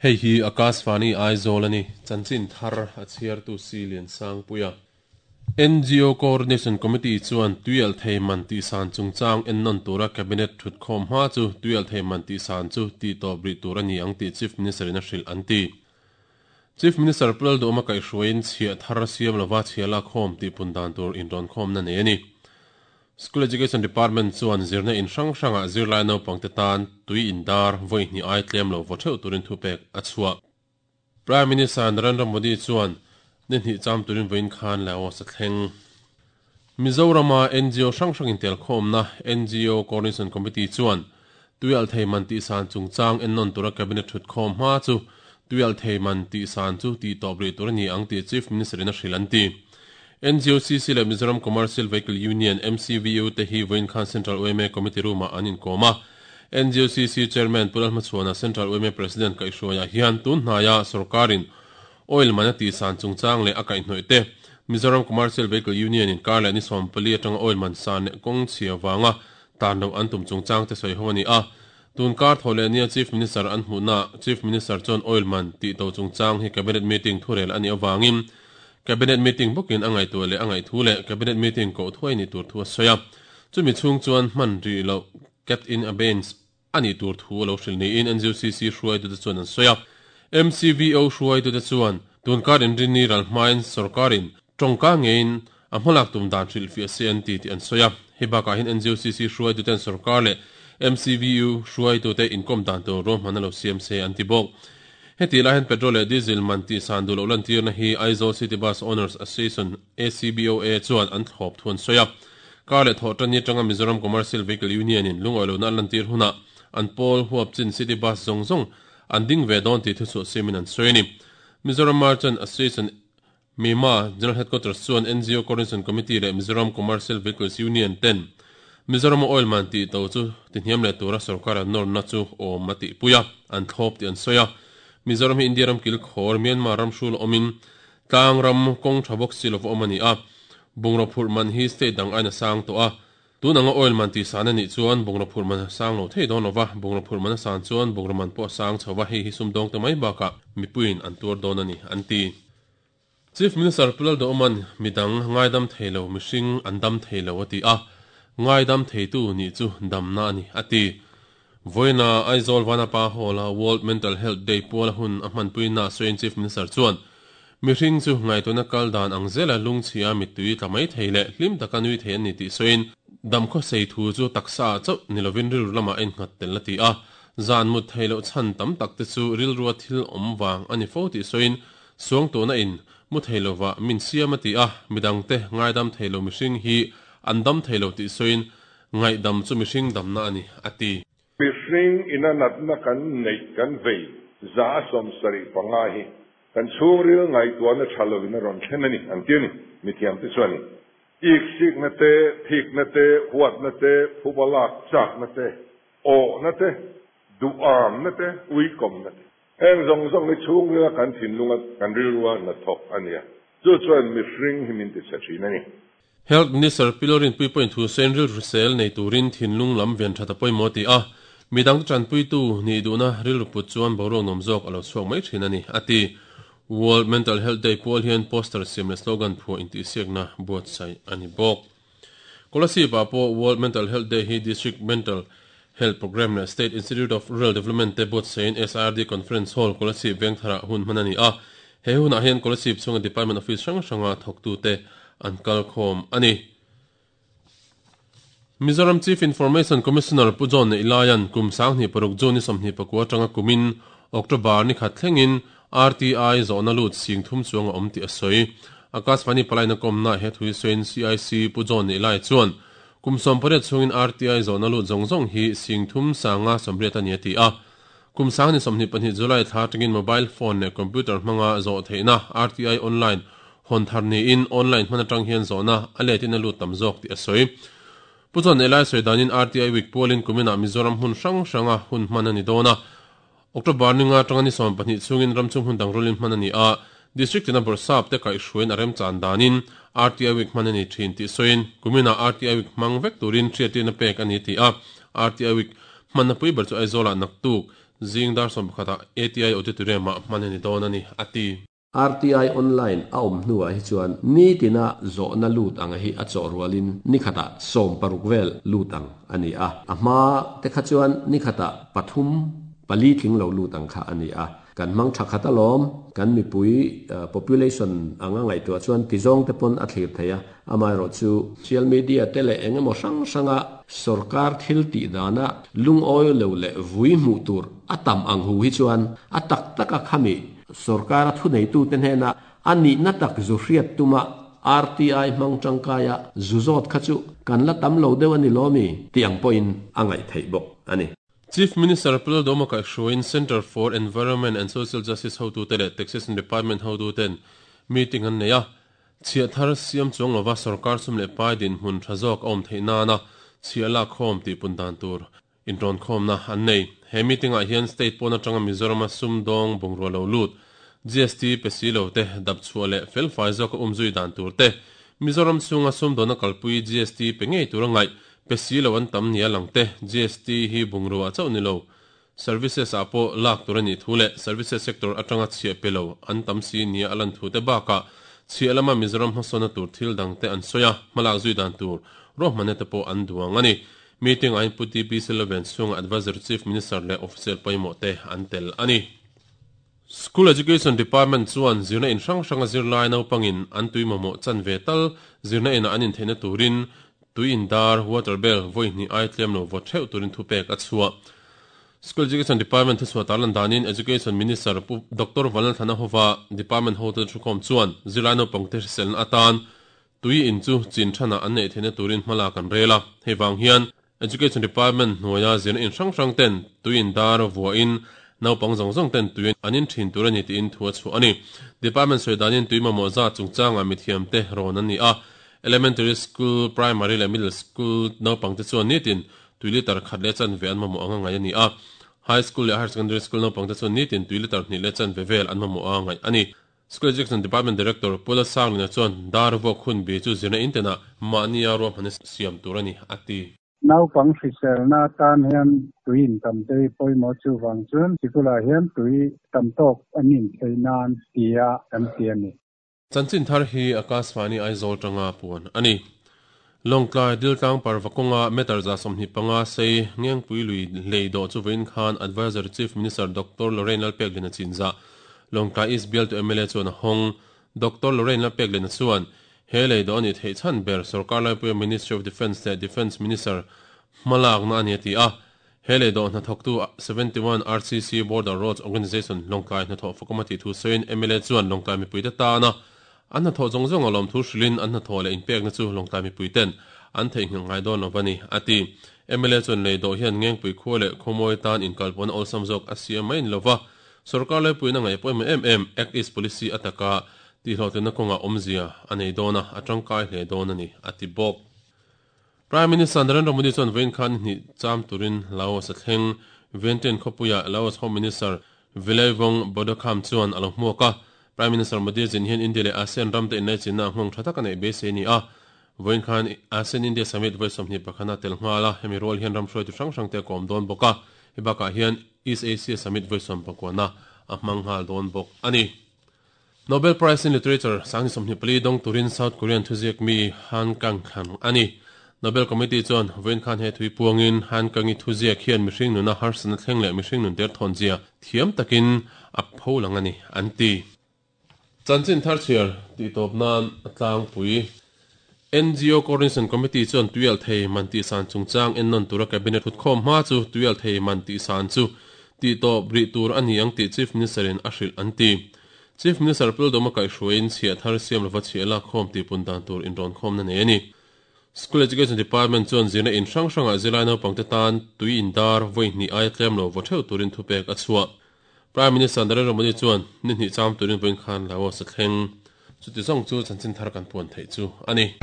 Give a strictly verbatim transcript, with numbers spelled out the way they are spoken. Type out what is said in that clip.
Hei hi Akashvani Aizawl ani chanchin thar a chhiartu si lian sang puia N G O Coordination Committee chuan tuial thei man ti san chungchang en non tura cabinet thut khom ha chu tuial thei man ti san chu ti to bri tur ani ang ti Chief Minister in a hril anti Chief Minister Pulal Doma kai hruain chhia thar siam lova chhiala khom ti pundan tur in ron khom na nei ani School Education Department chuan zirna in hrang hranga zirlai no pangte tan tui in dar voi ni ai tlem lo vo theu turin thupek achua Prime Minister Narendra Modi chuan ni hni cham turin voin khan lao sa thleng Mizorama N G O hrang hrang in tel khom na N G O Coordination Committee chuan tuial thei man ti san chungchang en non tura cabinet thut khom ma chu tuial thei man ti san chu ti tobri tur ni ang ti Chief Minister in a hril an ti N G O C C le Mizoram Commercial Vehicle Union M C V U te hi voin khan Central O M A Committee room a anin koma N G O C C Chairman Pulal Machuana Central O M A President kai hruaia hian tun hnaya sarkarin oil manati san chungchang le akai hnoi te Mizoram Commercial Vehicle Union in karla ni sompali atanga oil man san kong chhia wanga tan lo antum chungchang te soi honi a tun kar thole nia Chief Minister an hmuna Chief Minister chon oil man ti to chungchang hi cabinet meeting thurel ani awangin cabinet meeting bukin angai tu le angai thu le cabinet meeting ko thuai ni tur thu soya chumi chung chuan man ri lo kept in abeyance ani tur thu lo hril ni in N G O C C hruai tu te chuan an soya M C V O hruai tu te chuan tun kar in rin ni ral hmain sarkarin tongka ngein a hmalak tum dan hril fi C N T ti an soya hibaka hin N G O C C hruai tu ten sarkar le M C V U hruai tu te inkom dan tu ro manalo C M C an ti bok heti la hen petrol le diesel man ti san du lo lan tir na hi Aizawl City Bus Owners Association A C B O A chuan an thlop thun soya kar le tho tan ni tanga Mizoram Commercial Vehicle Union in lungoi lo na lan tir huna an pol huap chin city bus zong zong an ding ve don ti thu chu simin an soini Mizoram Merchant Association MIMA General Headquarters chuan N G O Coordination Committee le Mizoram Commercial Vehicles Union ten Mizoram oil man ti to chu ti hniam le tura sarkar an nor na chu o mati puya an thlop ti an soya Mizoram hi India ram kil khor Myanmar ram shul omin tlang ram kong thabok silov omani a bungra phur man hi state dang aina sang to a tunanga oil man ti san ani chuan bungra phur man sang lo thei don lova bungra phur man san chuan bungra man po sang chhowa hi hi sum dong te mai baka mipuin an tur don ani anti Chief Minister Pulal do oman midang ngaidam theilo mihring an dam theilo ati a ngaidam theitu ni chu damna ani ati voina Aizawl Vanapa Hall World Mental Health Day puala hun a hmanpuina Soin Chief Minister chuan mihring chu ngaituna kal dan ang zela lungchhia mitui tlamai theile hlim takanui thei ani ti soin damkho sei thu chu taksa chau nilovin ril lama en ngat tel la ti a zan mu theilo chan tam tak te chu ril ruwa thil om wang ani fo ti soin suang to na in mu theilowa min siam ati a midang te ngaidam theilo mihring hi an dam theilo ti soin ngaidam chu mihring damna ani ati mihring ina natna kan nei kan vei za som sari panga hi kan chhungril ngai tuan a thalovin a rawn thlen ani an ti ani mithiam te chuan ik sik na te thik na te huat na te phubalak chak na te o na te duam na te uikom na te heng zong zong ni chhungril kan thinlunga kan rilruwa na thok ania chu chuan mihring hi min ti sa thin ani Health Minister Pilorin Puipoint thu Senril Rusel nei turin thinlung lam ven thata poimo ti a midang chan pui tu ni duna ril put chuan borong nom jok alo chuak mai thin ani ati World Mental Health Day pual hian poster siam le slogan phu in ti siakna buat sai ani bok Kolasi pa po World Mental Health Day hi District Mental Health Program le State Institute of Rural Development te buat sein S R D Conference Hall Kolasi Vengthara hun manani a he hun a hian Kolasi chunga Department Office hrang hranga thoktu te an kal khom ani Mizoram Chief Information Commissioner Pujon Ilayan kum sangni paruk joni somni pakua tanga kumin October ni khat thlengin R T I zona lut sing thum chuanga om ti asoi Akashvani palaina komna he thui soin C I C Pujon Ilai chuan kum som pare chungin R T I zona lut zong zong hi sing thum sanga somriat ani ti a kum sangni somni pani July tha tangin mobile phone ne computer hmanga zo theina R T I online hon tharni in online hmana tang hian zona aletin lut tam zok ti asoi Pujon Elai soidanin R T I week polin kumina Mizoram hun hrang hranga hun hmanani dona October ninga tangani som pahnih chungin ramchung hun dangrolin hmanani a district ina borsap te kai hruain arem chan danin R T I week hmanani thin ti soin kumina R T I week mangvek turin thriatina pek ani ti a R T I week hmanna pui ber chu Aizawl ah naktuk Zing dar sawm pakhatah A T I Auditorium ah hman a ni dawn a ni, a ti. R T I online a awm hnuah hi chuan nitina zawhna lut ang hi a chawh rualin ni khatah sawm paruk vel lut ang a ni a. A hma te kha chuan ni khatah pathum pali tling lo lut ang kha a ni a. Kan hmang tha khat alawm, kan mipui population anga ngaihtuah chuan tizawng te pawn a thlir thei a. Amaherawh chu social media te leh eng emaw hrang hranga sarkar thil tih dana lungawi lo leh vui hmuh tur a tam ang hu hi chuan a tak taka khami sarkar a thu neitu te hnena ani na tak zu hriat tuma R T I hmang tangkaia zu zawt kha chu kan la tam lo deuh ani lomi tiang pawhin a ngaih theih bawk ani. Chief Minister Pu Lalduhoma kaihhruaiin Center for Environment and Social Justice hotu te leh Taxation Department hotu ten meeting an nei a. Chhiah thar siam chuang lova sarkar sum leh pai din hmun tha zawk a awm theih nana chhiah lak khawm tih pun dan tur inrawn khawmna an nei. He meeting ah hian state pawn atanga Mizoram a sum dawng bungrua lo lut G S T pe si lo te dap chhuah leh fel fai zawk a umzui dan tur te Mizoram chhunga sum dawna kalpui G S T pe ngei tur a ngaih pe si lo an tam nia lang te G S T hi bungrua chauh ni lo services ah pawh lak tur ani thu leh services sector atanga chhiah pe lo an tam si nia alan thu te bakah chhiah lama Mizoram hmasawna tur thil dang te an sawi a hmalak zui dan tur ruahmanna te pawh an duang ani. Meeting ah Pu T P Sullivan chhunga Advisor Chief Minister leh official pawimawh te an tel ani. School Education Department chuan zirna in hrang hranga zirlai naupangin an tui mamawh chan ve tal zirna ina an intheihna turin tui in dar water bell vawi hnih ai tlem lo vaw theuh turin thupek a chhuah. School Education Department thu chhuah tarlan danin Education Minister Pu Doctor Vanlalthlana Hova Department hotel thukhawm chuan zirlai naupang te hriselna atan tui in chu chin thana an nei theihna turin hmala kan rel a. Hei vang hian Education Department hnuaia zirna in hrang hrang ten tui in dar vuahin naupang zawng zawng ten tui an in thin tur ani tiin thu a chhuah ani. Department sawi danin tui mamawh za chungchanga mithiam te rawn an ni a. Elementary school, primary leh middle school naupang te chuan nitin tui litar khat leh chan ve an mamawh anga ngai ani a. High school leh higher secondary school naupang te chuan nitin tui litar hnih leh chan ve vel an mamawh anga ngai ani. School Education Department Director Pula Sanglina chuan dar vuak hun bi chu zirna intena mahnia ruahmanna siam tur ani a ti. Naupang hriselna tan hian tui in tam te pawimawh chu vang chuan sikula hian tui tam tawk an in theih nan tia kan ti ani. Chanchin thar hi Akashvani Aizawl tanga puan ani. Lawngtlai Diltlang Parvakonga meter za sawmhnih panga sei Ngengpui lui lei dawh chu vawiin khan Advisor Chief Minister Doctor Lorraine Lalpeklina chinza Lawngtlai East Bial to M L A chuan a hawng. Doctor Lorraine Lalpeklina chuan he lei dawh ani theih chhan ber sarkar laipuia Ministry of Defence leh Defence Minister hmalak na ani ti a. He lei dawh hnathawktu seventy-one R C C Border Roads Organisation Lawngtlai hnathawh fakamati thu sawiin M L A chuan Lawngtlai mipui te tana an hnathawh zawng zawng alawm thu hrilin an hnathawh leh inpekna chu Lawngtlai mipui ten an theihnghilh ngai dawn lo ani a ti. M L A chuan lei dawh hian Ngengpui khua leh khawmawi tan inkalpawn awlsam zawk a siam mai in lova sarkar laipuina ngaih pawimawh em em Act East Policy ataka tihhlawhtlinna kawnga awmzia a nei dawn a a tangkai hle dawn ani a ti bawk. Prime Minister Narendra Modi chuan vawiin khan hnih cham turin Laos a thleng. Vientiane khawpuia Laos Home Minister Vilayvong Bodokham chuan a lo hmuak a. Prime Minister Modi zin hian India leh ASEAN ram te innai chinna nghawng tha tak a neih beisei ni a. Vawiin khan ASEAN India Summit vawi sawmhnih pakhana tel nghal a. Hemi rual hian ram hruaitu hrang hrang te a kawm dawn bawk a. Hei bakah hian East Asia Summit vawi sawm pakuana a hmang nghal dawn bawk ani. Nobel Prize in Literature sangni sawmhnih pali dawng turin South Korean thuziak mi Han Kang thlan ani. Nobel Committee chuan vawiin khan he thui puangin Han Kangi thuziak hian mihring nuna harsana thleng leh mihring nun der thawn zia thiam takin a pho lang ani an ti. Chanchin thar chhiar tih tawp nan a tlangpui. N G O Coordination Committee chuan tuial thei man tih san chungchang ennawn tura cabinet thutkhawm hma chu tuial thei man tih san chu tih tawp rih tur ani ang tih Chief Minister in a hrilh an ti. Chief Minister Pu Lalduhoma kaihhruaiin chhiah thar siam lova chhiah lak khawm tih pun dan tur inrawn khawmna nei ani. School Education Department chuan zirna in hrang hranga zirlai naupang te tan tui in dar vawi hnih ai tlem lo vaw theuh turin thupek a chhuah. Prime Minister Narendra Modi chuan ni hnih cham turin vawiin khan Laos a thleng. Chuti zawng chu chanchin thar kan puan theih chu ani.